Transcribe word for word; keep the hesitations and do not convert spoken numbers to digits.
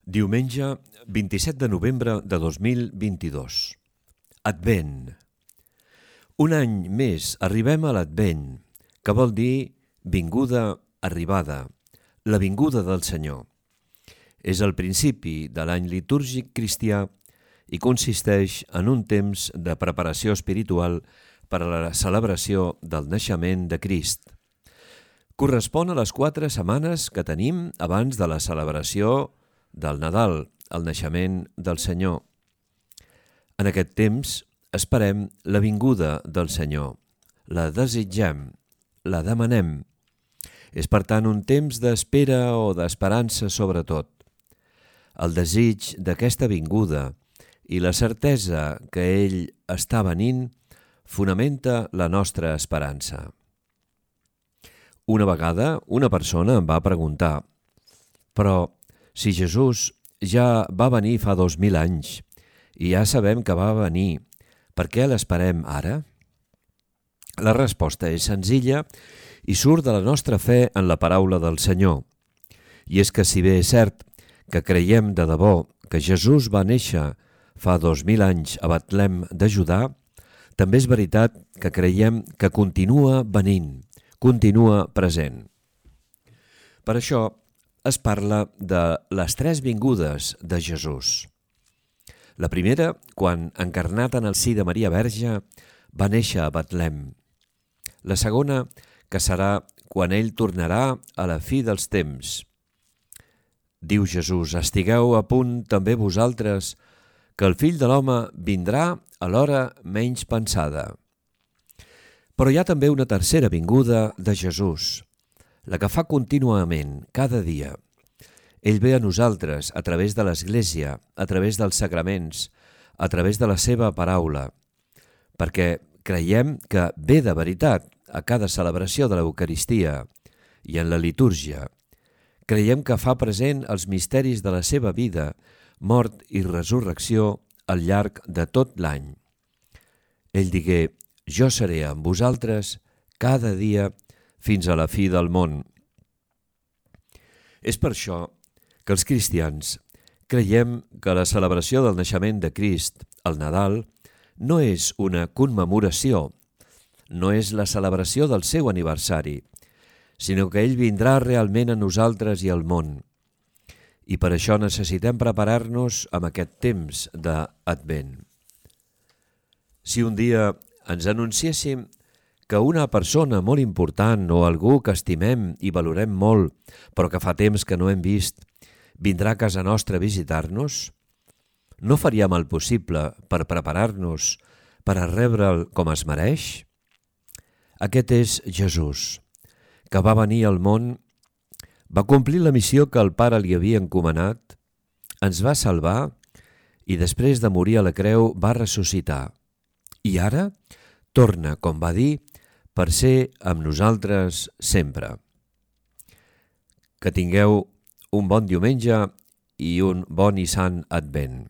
Diumenge vint-i-set de novembre de dos mil vint-i-dos. Advent. Un any més arribem a l'Advent, que vol dir vinguda, arribada, la vinguda del Senyor. És el principi de l'any litúrgic cristià i consisteix en un temps de preparació espiritual per a la celebració del naixement de Crist. Correspon a les quatre setmanes que tenim abans de la celebració del Nadal, el naixement del Senyor. En aquest temps esperem la vinguda del Senyor, la desitgem, la demanem. És per tant un temps d'espera o d'esperança sobretot. El desig d'aquesta vinguda i la certesa que ell està venint fonamenta la nostra esperança. Una vegada una persona em va preguntar: però si Jesús ja va venir fa dos mil anys i ja sabem que va venir, per què l'esperem ara? La resposta és senzilla i surt de la nostra fe en la paraula del Senyor. I és que si bé és cert que creiem de debò que Jesús va néixer fa dos mil anys a Betlem de Judà, també és veritat que creiem que continua venint, continua present. Per això es parla de les tres vingudes de Jesús. La primera, quan, encarnat en el si de Maria Verge, va néixer a Betlem. La segona, que serà quan ell tornarà a la fi dels temps. Diu Jesús: estigueu a punt també vosaltres, que el Fill de l'Home vindrà a l'hora menys pensada. Però hi ha també una tercera vinguda de Jesús, la que fa contínuament, cada dia. Ell ve a nosaltres a través de l'Església, a través dels sacraments, a través de la seva paraula, perquè creiem que ve de veritat a cada celebració de l'Eucaristia i en la litúrgia. Creiem que fa present els misteris de la seva vida, mort i resurrecció al llarg de tot l'any. Ell digué: jo seré amb vosaltres cada dia fins a la fi del món. És per això que els cristians creiem que la celebració del naixement de Crist, el Nadal, no és una commemoració, no és la celebració del seu aniversari, sinó que ell vindrà realment a nosaltres i al món. I per això necessitem preparar-nos amb aquest temps d'Advent. Si un dia ens anunciéssim que una persona molt important o algú que estimem i valorem molt, però que fa temps que no hem vist, vindrà a casa nostra a visitar-nos, no faríem el possible per preparar-nos per a rebre'l com es mereix? Aquest és Jesús, que va venir al món, va complir la missió que el Pare li havia encomanat, ens va salvar i després de morir a la creu va ressuscitar. I ara torna, com va dir, per ser amb nosaltres sempre. Que tingueu un bon diumenge i un bon i sant Advent.